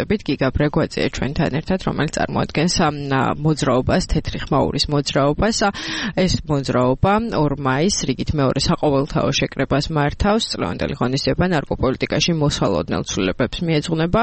გიგა ბრეგვაძე ჩვენთან ერთად, რომელიც წარმოადგენს მოძრაობას, თეთრი ხმაურის მოძრაობას. ეს მოძრაობა 2 მაისს რიგით მეორე საყოველთაო შეკრებას მართავს. წლევანდელი ღონისძიება ნარკოპოლიტიკაში მოსალოდნელ ცვლილებებს მიეძღვნება.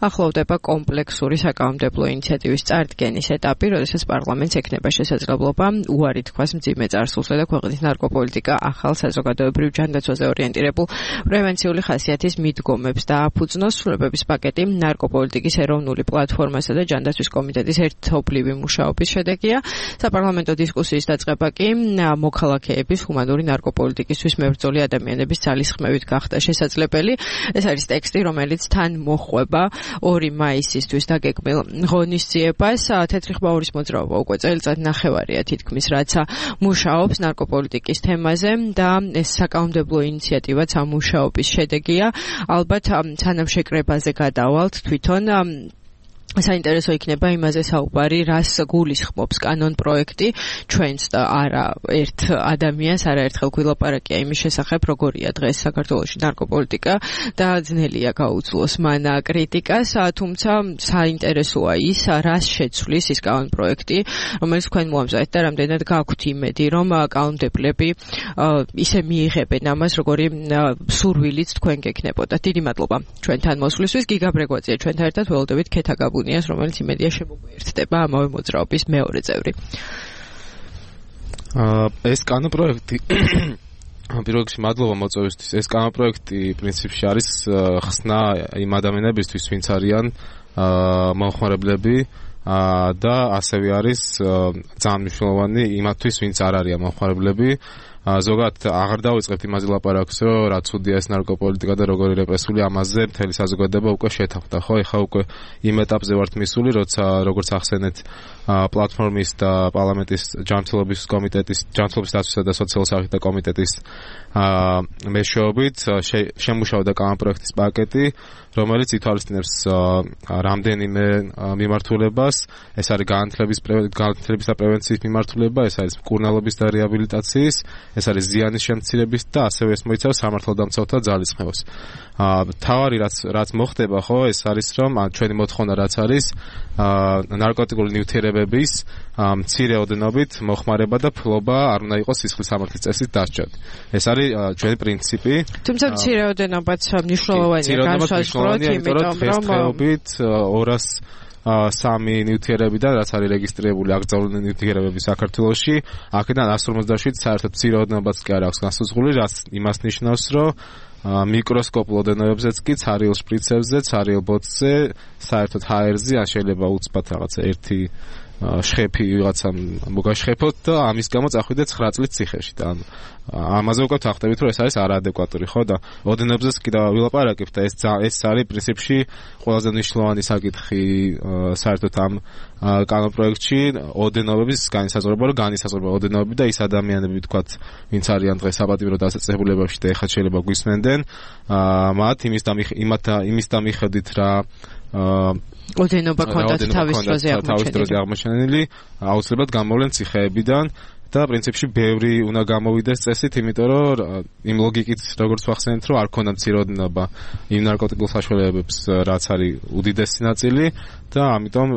ახლოვდება კომპლექსური საკანონმდებლო ინიციატივის წარდგენის ეტაპი, როდესაც პარლამენტს ექნება შესაძლებლობა უარი თქვას მძიმე წარსულზე და ქვეყნის ნარკოპოლიტიკა ახალ საზოგადოებრივ ჯანდაცვაზე ორიენტირებულ პრევენციული ხასიათის მიდგომებს დააფუძნოს. ცვლილებების პაკეტი ნარკოპოლიტიკის ეროვნული პლატფორმასა და ჯანდაცვის კომიტეტის ერთობლივი მუშაობის შედეგია. საპარლამენტო დისკუსიის დაწყება კი მოქალაქეების ჰუმანური ნარკოპოლიტიკისთვის მებრძოლი ადამიანების ძალისხმევით გახდა შესაძლებელი. ეს არის ტექსტი, რომელიც თან მოხვება 2 მაისისთვის დაგეგმილ ღონისძიებას. თეთრი ხმაურის მოძრაობა უკვე წელიწად ნახევარია თითქმის, რაც მუშაობს ნარკოპოლიტიკის თემაზე და ეს საკანონმდებლო ინიციატივაც ამ მუშაობის შედეგია. ალბათ სანამ შეკრებაზე გადავალთ თვითონ საინტერესო იქნება იმაზე საუბარი, რას გულისხმობს კანონ პროექტი ჩვენს და არა ერთ ადამიანს, არაერთხელ გვილაპარაკია იმის შესახებ, როგორია დღეს საქართველოში ნარკოპოლიტიკა და ძნელია გაუძლოს მან კრიტიკას, თუმცა საინტერესოა ის, რას შეცვლის ის კანონ პროექტი, რომელიც თქვენ მოამზადეთ და რამდენად გაქვთ იმედი, რომ კანონმდებლები ისე მიიღებენ ამას, როგორი სურვილიც თქვენ გექნებოდა. დიდი მადლობა ჩვენთან მოსვლისთვის. გიგა ბრეგვაძეა ჩვენთან ერთად, ველოდებით ქეთაგაბუ რომელიც იმედია შემოგვიერთდება ამავე მოძრაობის მეორე წევრი. ეს კანონპროექტი პირველ რიგში მადლობა მოწვევისთვის. ეს კანონპროექტი პრინციპში არის ხსნა იმ ადამიანებისთვის, ვინც არიან მომხმარებლები და ასევე არის ძალიან მნიშვნელოვანი იმათთვის, ვინც არ არიან მომხმარებლები. ზოგადად აღარ დავიწყებთ იმაზე ლაპარაკს, რომ რა ცუდია ეს ნარკოპოლიტიკა და როგორი რეპრესული, ამაზე მთელი საზოგადოება უკვე შეთანხმდა, ხო? ეხლა უკვე იმ ეტაპზე ვართ მისული, როცა როგორც ახსენეთ პლატფორმის და პარლამენტის ჯანმრთელობის კომიტეტის, ჯანმრთელობის დაცვისა და სოციალური საფრთხე კომიტეტის მეშვეობით შემუშავდა კანონპროექტის პაკეტი, რომელიც ითვალისწინებს რამდენიმე მიმართულებას. ეს არის განათლების და პრევენციის მიმართულება, ეს არის მკურნალობის და რეაბილიტაციის, ეს არის ზიანის შემცირების და ასევე ეს მოიცავს სამართალდამცავთა ძალისხმევას. თავარი რაც მოხდება, ხო, ეს არის რომ ჩვენი მოთხოვნა რაც არის ნარკოტიკული ნივთიერებების მცირე ოდენობით მოხმარება და ფლობა არ უნდა იყოს სისხლის სამართლის წესით დასჯად. ეს არის ჩვენი პრინციპი. თუმცა მცირე ოდენობაც მნიშვნელოვანია განსაზღვროთ, იმიტომ რომ დღესდღეობით 203 ნივთიერებიდან, რაც არის რეგისტრირებული აკრძალული ნივთიერებები საქართველოში, აქედან 157 საერთოდ მცირე ოდენობაც კი არ აქვს განსაზღვრული, რაც იმას ნიშნავს, რომ მიკროსკოპულ ოდენობებზეც კი ცარიელ შპრიცებზე, ცარიელ ბოთლზე, საერთოდ ჰაერზე, ან შეიძლება უცბად რაღაცა ერთი შხეფი ვიღაცამ მოგაშხეფოთ და ამის გამო წახვიდეთ 9 წლის ციხეში და ამაზე უკვე ვახტებით, რომ ეს არის არაადეკვატური, ხო და ოდენობზეც კი და ვილაპარაკებთ და ეს არის პრინციპში ყველაზე მნიშვნელოვანი საკითხი საერთოდ ამ კანონპროექტში, ოდენობების განისაზღვრება, რომ განისაზღვრება ოდენობები და ის ადამიანები, თქვათ, ვინც არიან დღეს საპატიმრო დასაწესებულებებში და ეხლა შეიძლება გვისმენდნენ, მათ იმის და მიხედვით რა ოდენობა ქონდათ თავის დროზე აღმოჩენილი, აუცილებლად გამოვლენ ციხეებიდან და პრინციპში ბევრი უნდა გამოვიდეს წესით, იმიტომ რომ იმ ლოგიკით როგორც ვახსენეთ, რომ არ ქონდა მცირე ოდენობა იმ ნარკოტიკულ საშუალებებს, რაც არის უდიდესი ნაწილი და ამიტომ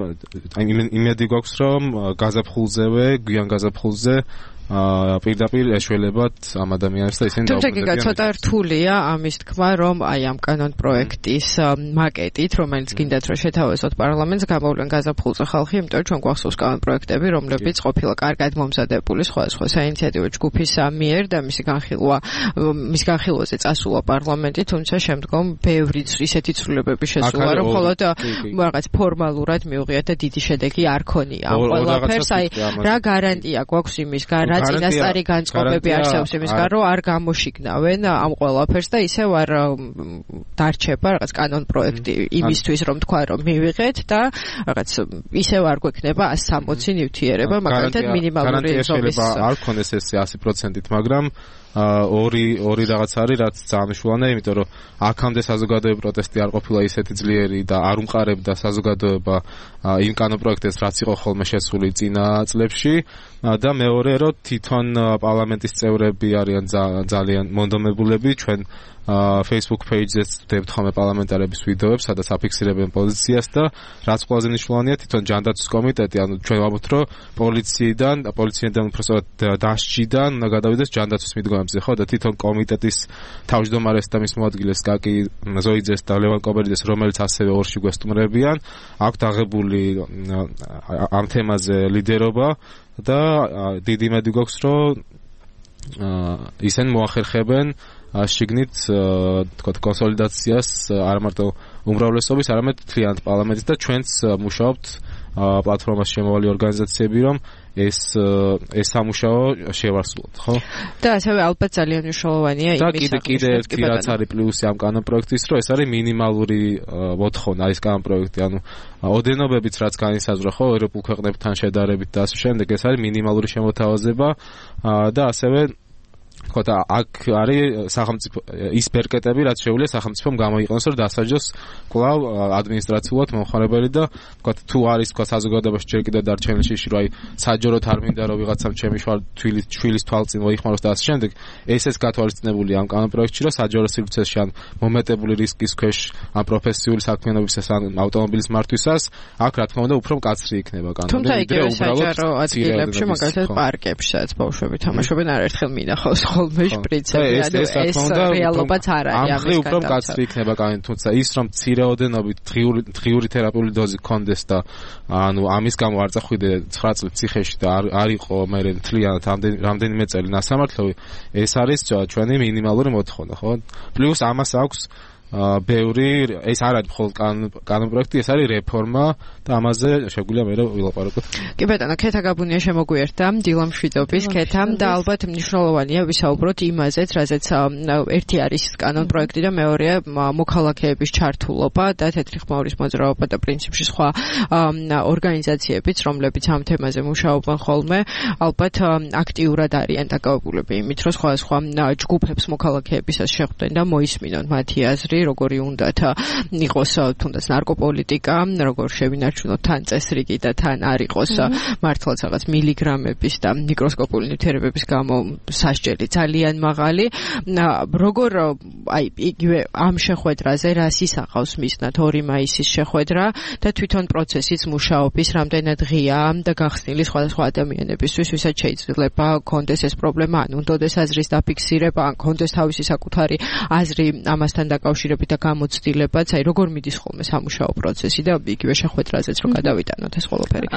იმედი გვაქვს, რომ გაზაფხულზევე, გვიან გაზაფხულზე პირდაპირ ეშველებათ ამ ადამიანებს და ისინი თუმცა გიგა ცოტა რთულია ამის თქმა, რომ აი ამ კანონ პროექტის მაკეტით, რომელიც გინდათ რომ შეთავაზოთ პარლამენტს, გამოვლენ გაზაფხულზე ხალხი, იმიტომ რომ ჩვენ გვახსოვს კანონ პროექტები, რომლებიც ყოფილა კარგად მომზადებული სხვადასხვა საინიციატივო ჯგუფის მიერ და მის განხილვაზე წასულა პარლამენტი, თუმცა შემდგომ ბევრი ისეთი ცვლილებები შესულა, რომ მხოლოდ რაღაც ფორმალურად მიუღიათ და დიდი შედეგი არ ქონია ამ ყველაფერს. აი რა გარანტია გვაქვს იმისგან, რა წინასწარი განწყობები არსებობს იმისგან, რომ არ გამოშიგნავენ ამ ყველაფერს და ისევ არ დარჩება რაღაც კანონ პროექტი იმისთვის, რომ თქვა რომ მივიღეთ და რაღაც ისევ არ გვექნება 160 ნივთიერება, მაგალითად მინიმალური ზომის. არ ქონდეს ეს 100%-ით, მაგრამ ორი რაღაც არის, რაც ძალიან მნიშვნელოვანია, იმიტომ რომ აქამდე საზოგადოებრივი პროტესტი არ ყოფილა ისეთი ძლიერი და არ უმყარებდა საზოგადოება იმ კანონპროექტებს, რაც იყო ხოლმე შესული წინა წლებში და მეორე რომ თვითონ პარლამენტის წევრები არიან ძალიან მონდომებულები ჩვენ Facebook page-ზე ვდებთ ხოლმე პარლამენტარების ვიდეოებს, სადაც აფიქსირებენ პოზიციას და რაც ყველაზე მნიშვნელოვანია, თვითონ ჯანდაცვის კომიტეტი, ანუ ჩვენ ვამბობთ, რომ პოლიციიდან უბრალოდ დასჯიდან უნდა გადავიდეს ჯანდაცვის მიდგომებზე, ხო და თვითონ კომიტეტის თავმჯდომარეს და მის მოადგილეს გაკი ზოიძეს და ლევან კობერიძეს, რომელიც ასევე ორში გვესტუმრებიან, აქვთ აღებული ამ თემაზე ლიდერობა და დიდი იმედი გვაქვს, რომ ისინი მოახერხებენ შიგნით თქვათ კონსოლიდაციას არ მარტო უმრავლესობის, არამედ მთლიანად პარლამენტის და ჩვენც მუშაობთ პლატფორმას შემოვალი ორგანიზაციები, რომ ეს სამუშაო შევარსულოთ, ხო? და ასევე ალბათ ძალიან მნიშვნელოვანია იმის და კიდე ერთი რაც არის პლუსი ამ კანონპროექტის, რომ ეს არის მინიმალური მოთხოვნა ის კანონპროექტი, ანუ ოდენობებიც რაც განისაზღვრა, ხო, ევროპულ ქვეყნებთან შედარებით და ასე შემდეგ, ეს არის მინიმალური შემოთავაზება და ასევე ხოთა აქ არის სახელმწიფო ის ბერკეტები, რაც შეუძლია სახელმწიფომ გამოიყენოს, რომ დასაჯოს კვლავ ადმინისტრაციულად მომხმარებელი და თქვათ თუ არის თქვათ საზოგადოებაში ჯერ კიდევ დარჩენილში, რომ აი საჯაროდ არ მინდა რომ ვიღაცამ ჩემი შვილის თვალწინ მოიხმაროს და ასე შემდეგ, ესეც გათვალისწინებულია ამ კანონპროექტში, რომ საჯარო სივრცეში ან მომეტებული რისკის ქვეშ ამ პროფესიული საქმიანობისას ან ავტომობილის მართვისას, აქ რა თქმა უნდა უფრო მკაცრი იქნება კანონი. თუმცა იგივე საჯარო ადგილებში, მაგალითად პარკებში, სადაც ბავშვები თამაშობენ, არაერთხელ მინახავს ხოლმე შპრიცები, ანუ ეს რეალობაც არ არის ამის გამო. უფრო მკაცრი იქნება კანონი, თუმცა ის რომ მცირეოდენობით დღიური თერაპიული დოზი გქონდეს და ანუ ამის გამო არ წახვიდე 9 წელი ციხეში და არ იყო მე მთლიანად რამდენიმე წელი ნასამართლოვი, ეს არის ჩვენი მინიმალური მოთხოვნა, ხო? პლუს ამას აქვს ბევრი, ეს არ არის მხოლოდ კანონპროექტი, ეს არის რეფორმა და ამაზე შეგვიძლია მე ვილაპარაკოთ. კი ბატონო, ქეთა გაბუნია შემოგვიერთდა დილა მშვიდობის ქეთამ და ალბათ მნიშვნელოვანია ვისაუბროთ იმაზეც, რაზეც ერთი არის კანონპროექტი და მეორეა მოქალაქეების ჩართულობა და თეთრი ხმაურის მოძრაობა და პრინციპში სხვა ორგანიზაციებიც, რომლებიც ამ თემაზე მუშაობენ ხოლმე, ალბათ აქტიურად არიან დაკავებულები იმით, რომ სხვა ჯგუფებს მოქალაქეებისას შეხვდნენ და მოისმინონ მათი აზრი, როგორი უნდათ იყოს თუნდაც ნარკოპოლიტიკა, როგორ შევინარჩუნოთ თან წესრიგი და თან არ იყოს მართლაც რაღაც მილიგრამების და მიკროსკოპული ნივთიერებების გამო სასჯელი ძალიან მაღალი. როგორ აი იგივე ამ შეხვედრაზე რას ისახავს მისნათ 2 მაისის შეხვედრა და თვითონ პროცესის მუშაობის რამდენად ღია და გახსნილი სხვადასხვა ადამიანებისთვის, ვისაც შეიძლება კონდეს ეს პრობლემა, ან უნდოდეს აზრის დაფიქსირება, ან კონდეს თავისი საკუთარი აზრი ამასთან დაკავშირებით და გამოცდილებაც, აი როგორ მიდის ხოლმე სამუშაო პროცესი და იგივე შეხვედრაზეც რომ გადავიტანოთ ეს ყველაფერი.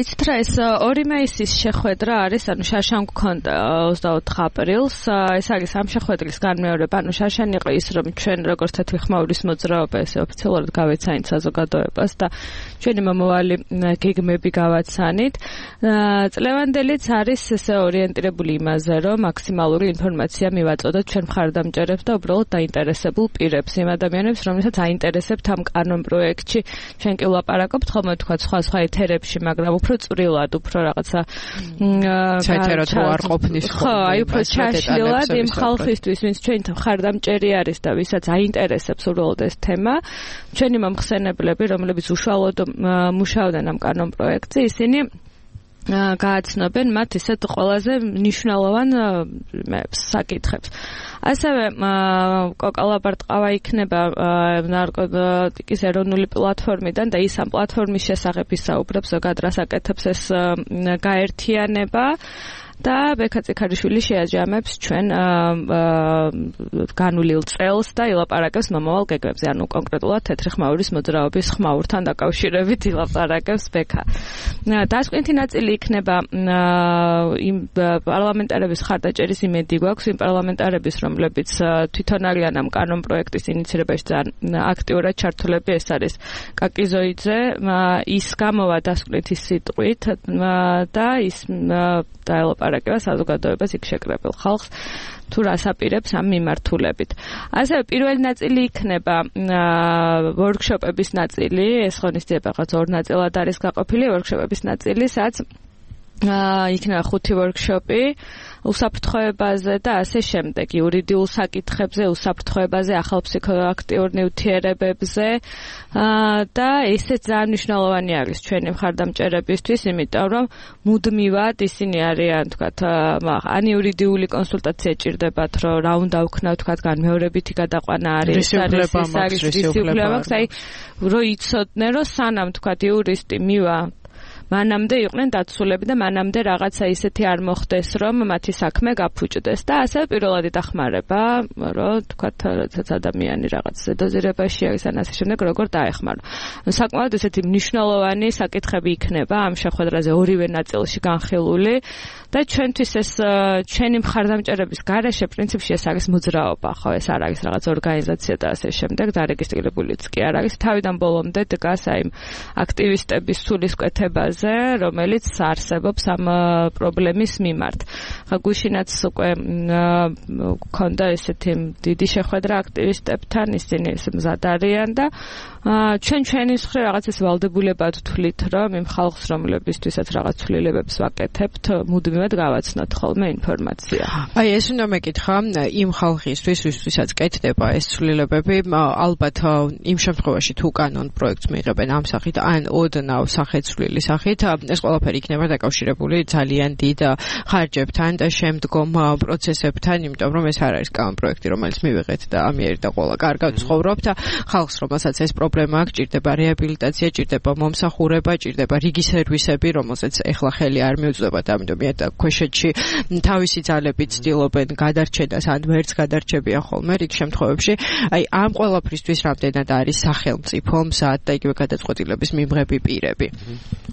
იცით რა, ეს 2 მაისის შეხვედრა არის, ანუ შარშან გქონდა 24 აპრილს, ეს არის ამ შეხვედრის განმეორება, ანუ შარშან იყო ის, რომ ჩვენ როგორც თეთრი ხმაურის მოძრაობა ესე ოფიციალურად გავეცანით საზოგადოებას და ჩვენი მომავალი გეგმები გავაცანით. წლევანდელიც არის ესე ორიენტირებული იმაზე, რომ მაქსიმალური ინფორმაცია მივაწოდოთ ჩვენ მხარდამჭერებს და უბრალოდ დაინტერესებულ პირებს, იმ ადამიანებს, რომელსაც აინტერესებთ ამ კანონპროექტში. ჩვენ კი ვლაპარაკობთ ხოლმე თქვა სხვა ეთერებში, მაგრამ უფრო წვრილად, უფრო რაღაცა საერთოდ არ ყოფნის ხო, აი უფრო ჩაშლილად იმ ხალხისთვის, ვინც ჩვენ მხარდამჭერი არის და ვისაც აინტერესებს უბრალოდ ეს თემა. ჩვენი მომხსენებლები, რომლებიც უშუალოდ მუშაობდნენ ამ კანონპროექტზე, ისინი გააცნობენ მათ ისეთ ყველაზე მნიშვნელოვან საკითხებს. ასევე კოკალაბარტყავა იქნება ნარკოტიკის ეროვნული პლატფორმიდან და ის ამ პლატფორმის შესახებ ისაუბრებს, ზოგადად რას აკეთებს ეს გაერთიანება. და ბექა წიქარიშვილი შეაჯამებს ჩვენ განვლილ წელს და ილაპარაკებს მომავალ გეგმებზე, ანუ კონკრეტულად თეთრი ხმაურის მოძრაობის ხმაურთან დაკავშირებით ილაპარაკებს ბექა. დასკვნითი ნაწილი იქნება იმ პარლამენტარების ხარდაჭერის იმედი გვაქვს, იმ პარლამენტარების, რომლებიც თვითონ არიან ამ კანონპროექტის ინიცირებაში ძალიან აქტიურად ჩართულები, ეს არის კაკი ზოიძე, ის გამოვა დასკვნითი სიტყვით და ის დაელაპარაკება საზოგადოებას იქ შეკრებილ ხალხს თუ რას აპირებს ამ მიმართულებით. ასევე პირველი ნაწილი იქნება ვორქშოპების ნაწილი, ეს ღონისძიება რაღაც 2 ნაწილად არის გაყოფილი, ვორქშოპების ნაწილი, სადაც იქნება 5 ვორქშოპი უსაფრთხოებაზე და ასე შემდეგ, იურიდიულ საკითხებზე, უსაფრთხოებაზე, ახალ ფსიქოაქტიურ ნივთიერებებზე და ესეც ძალიან მნიშვნელოვანი არის ჩვენი მხარდამჭერებისთვის, იმიტომ რომ მუდმივად ისინი არიან, თქვათ, ან იურიდიული კონსულტაცია ჭირდებათ, რომ რა უნდა ვქნათ, თქვათ, განმეორებითი გადაყვანა არის, რისიულება, აი, რომ იცოდნენ, რომ სანამ, თქვათ, იურისტი მივა მანამდე იყვნენ დაცულები და მანამდე რაღაცა ისეთი არ მოხდეს, რომ მათი საქმე გაფუჭდეს და ასე პირველადი დახმარება, რომ თქვათ, როდესაც ადამიანი რაღაც ზედოზირებაში არის ან ასე შემდეგ, როგორ დაეხმარო. საკმაოდ ესეთი მნიშვნელოვანი საკითხები იქნება ამ შეხვედრაზე ორივე ნაწილში განხილული და ჩვენთვის ეს ჩვენი მხარდამჭერების გარეშე პრინციპში ეს არის მოძრაობა, ხო, ეს არ არის რაღაც ორგანიზაცია და ასე შემდეგ, დარეგისტრირებულიც კი არ არის. თავიდან ბოლომდე დგას აი აქტივისტების სულისკვეთებაზე, რომელიც არსებობს ამ პრობლემის მიმართ. ხა გუშინაც უკვე მქონდა ესეთი დიდი შეხვედრა აქტივისტებთან, ისინი მზად არიან და ჩვენი მხრივ რაღაც ეს ვალდებულებად ვთვლით, რომ იმ ხალხს, რომლებისთვისაც რაღაც ცვლილებებს ვაკეთებთ, მუდმივად გავაცნოთ ხოლმე ინფორმაცია. აი ეს უნდა მეკითხა იმ ხალხისთვის, ვისთვისაც კეთდება ეს ცვლილებები, ალბათ იმ შემთხვევაში თუ კანონ პროექტს მიიღებენ ამ სახით, ან ოდნავ სახეცვლილი სახით, ეს ყველაფერი იქნება დაკავშირებული ძალიან დიდ ხარჯებთან და შემდგომ პროცესებთან, იმიტომ რომ ეს არ არის კანონ პროექტი, რომელიც მივიღეთ და ამიერი და ყველა კარგად ცხოვრობთ. ხალხს, რომელსაც ეს პრობლემა აქვს, ჭირდება რეაბილიტაცია, ჭირდება მომსახურება, ჭირდება რიგი სერვისები, რომელსაც ეხლა ხელი არ მიუწვდება და ამიტომ ქვეშეთში თავისი ძალებით ცდილობენ გადარჩენას, ან ვერც გადარჩებიან ხოლმე რიგ შემთხვევებში. აი ამ ყველაფრისთვის რამდენად არის სახელმწიფო მზად და იგივე გადაწყვეტილების მიმღები პირები.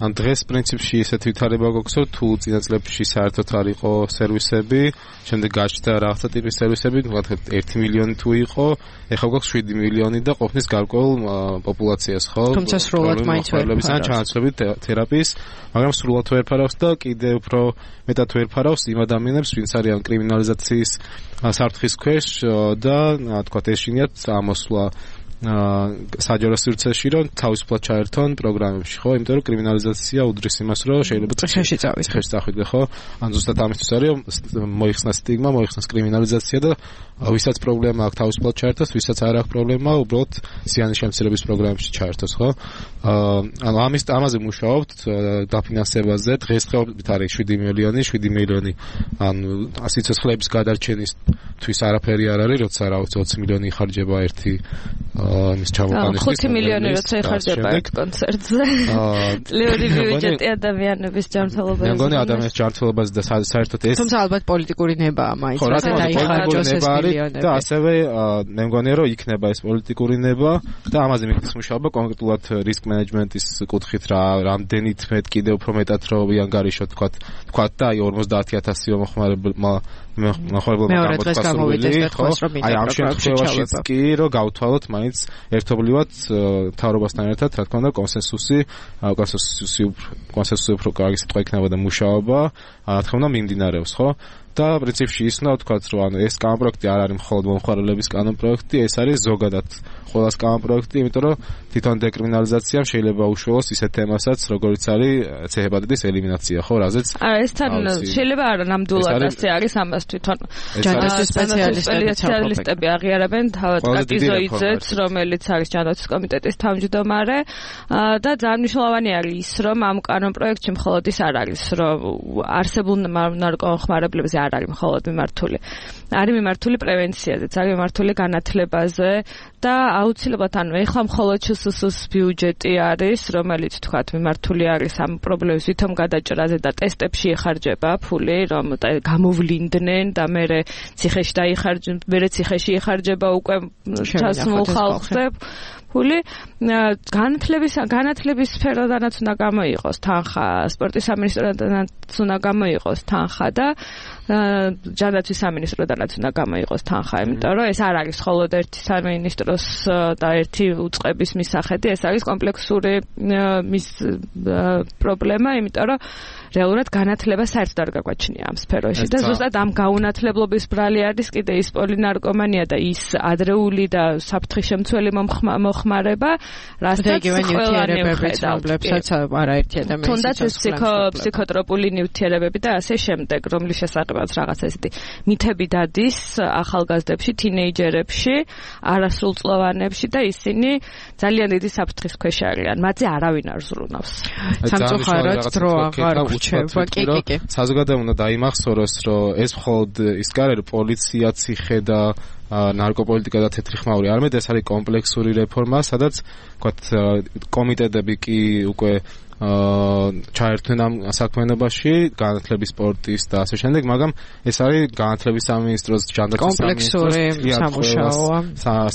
ან დღეს პრინციპში ესეთი ვითარება გვაქვს, რომ თუ წინა წლებში საერთოდ არ იყო სერვისები, შემდეგ გაჩნდა რაღაცა ტიპის სერვისები, თუნდაც 1 მილიონი თუ იყო, ეხლა გვაქვს 7 მილიონი და ყოფნის გარკვეულ პოპულაციას, ხო? თუმცა სრულად მაინც ვერ ფარავს ჩანაცვლებით თერაპიის, მაგრამ სრულად ვერ ფარავს და კიდევ უფრო მეტად ვერ ფარავს იმ ადამიანებს, ვინც არიან კრიმინალიზაციის საფრთხის ქვეშ და თქვათ ეშინიათ ამოსვლა საჯარო სივრცეში, რომ თავისუფლად ჩაერთონ პროგრამებში, ხო? იმიტომ რომ კრიმინალიზაცია უდრის იმას, რომ შეიძლება ციხეში წავიდე, ხო? ან ზუსტად ამისთვის არის, რომ მოიხსნას სტიგმა, მოიხსნას კრიმინალიზაცია და ვისაც პრობლემა აქვს თავისუფლად ჩაერთოს, ვისაც არ აქვს პრობლემა, უბრალოდ ზიანის შემცირების პროგრამებში ჩაერთოს, ხო? ანუ ამაზე მუშაობთ დაფინანსებაზე, დღესდღეობით არის 7 მილიონი, ანუ სიცოცხლეების გადარჩენისთვის არაფერი არ არის, როცა 20 მილიონი იხარჯება ერთი ის ჩამოყენისთვის. 5 მილიონი როცა იხარჯება ერთ კონცერტზე. წლიური ბიუჯეტი ადამიანების ჯანმრთელობაზე. მე მგონი ადამიანის ჯანმრთელობაზე და საერთოდ ეს თუმცა ალბათ პოლიტიკური ნებაა მაინც რათა დაიხარჯოს ეს მილიონები. და ასევე მე მგონია რომ იქნება ეს პოლიტიკური ნება და ამაზე მიგდის მუშაობა კონკრეტულად რისკ მენეჯმენტის კუთხით რამდენით მეტ კიდევ უფრო მეტად რომ იანგარიშოთ თქვათ და აი 50,000 მოხმარებელმა გამოვიდეს და თქვას რომ აი ამ შემთხვევაშიც კი რომ გავთვალოთ მაინც ერთობლივად მთავრობასთან ერთად რა თქმა უნდა კონსენსუსი უფრო კარგი სიტყვა იქნება და მუშაობა რა თქმა უნდა მიმდინარეობს, ხო? და პრინციპში ის უნდა ვთქვათ, რომ ანუ ეს კანონ პროექტი არ არის მხოლოდ მომხმარებლების კანონ პროექტი, ეს არის ზოგადად ყველას კანონ პროექტი, იმიტომ რომ თვითონ დეკრიმინალიზაციამ შეიძლება უშუალოს ისეთ თემასაც, როგორც არის ცეჰეპატიტის ელიმინაცია, ხო, რაზეც ეს თან შეიძლება არა ნამდვილად ასე არის, ამას თვითონ ჯანდაცვის სპეციალისტები აღიარებენ, თავად კატიზოიძეც, რომელიც არის ჯანდაცვის კომიტეტის თავმჯდომარე და ძალიან მნიშვნელოვანი არის ის, რომ ამ კანონ პროექტში მხოლოდ ის არ არის, რომ არსებულ ნარკომხმარებლებზე არ არის მხოლოდ მიმართული. არის მიმართული პრევენციაზეც, არის მიმართული განათლებაზე და აუცილებლად ანუ ეხლა მხოლოდ ЧՍՍ-ს ბიუჯეტი არის, რომელიც თქვათ მიმართული არის ამ პრობლემის ვითომ გადაჭრაზე და ტესტებში იხარჯება ფული, რომ გამოვლინდნენ და მერე ციხეში იხარჯება უკვე ჩასმულ ხალხზე ფული. განათლების სფეროდანაც უნდა გამოიყოს თანხა, სპორტის სამინისტროდანაც უნდა გამოიყოს თანხა და ჯანდაცვის სამინისტროდანაც უნდა გამოიყოს თანხა, იმიტომ რომ ეს არ არის მხოლოდ ერთი სამინისტროს და ერთი უწყების მისახედი, ეს არის კომპლექსური მის პრობლემა, იმიტომ რომ რეალურად განათლება საერთოდ არ გაგვაჩნია ამ სფეროში და ზუსტად ამ გაუნათლებლობის ბრალი არის კიდე ის პოლინარკომანია და ის ადრეული და საფრთხის-შემცველი მოხმარება, რასაც ყველანი ვხედავთ, არაერთი ადამიანი თუნდაც ეს ფსიქოტროპული ნივთიერებები და ასე შემდეგ, რომლის შესაძლებლად რაღაც ესეთი მითები დადის ახალგაზრდებში, თინეიჯერებში, არასრულწლოვანებში და ისინი ძალიან დიდი საფრთხის ქვეშ არიან. მათზე არავინ არ ზრუნავს. სამწუხაროდ დრო აღარ რჩება. კი. საზოგადოებამ უნდა დაიმახსოვროს, რომ ეს მხოლოდ ის კი არა, რომ პოლიცია, ციხე და ნარკოპოლიტიკა და თეთრი ხმაური, არამედ ეს არის კომპლექსური რეფორმა, სადაც ვთქვათ კომიტეტები კი უკვე ჩაერთვენ ამ საქმიანობაში, განათლების, სპორტის და ასე შემდეგ, მაგრამ ეს არის განათლების სამინისტროს, ჯანდაცვის სამინისტროს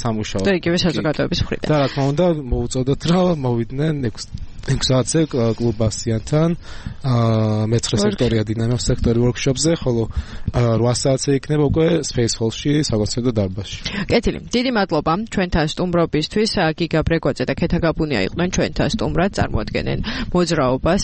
სამუშაო. და იგივე საზოგადოების მხრიდან. და რა თქმა უნდა, მოუწოდოთ რა მოვიდნენ 6 საათზე კლუბ ბასიანთან, მეცხრე სექტორია დინამოს სექტორი ვორქშოპზე, ხოლო 8 საათზე იქნება უკვე Space Hall-ში, საკონცერტო დარბაზში. კეთილი, დიდი მადლობა ჩვენთან სტუმრობისთვის. გიგა ბრეგვაძე და ქეთა გაბუნია იყვნენ ჩვენთან სტუმრად, წარმოადგენენ მოძრაობას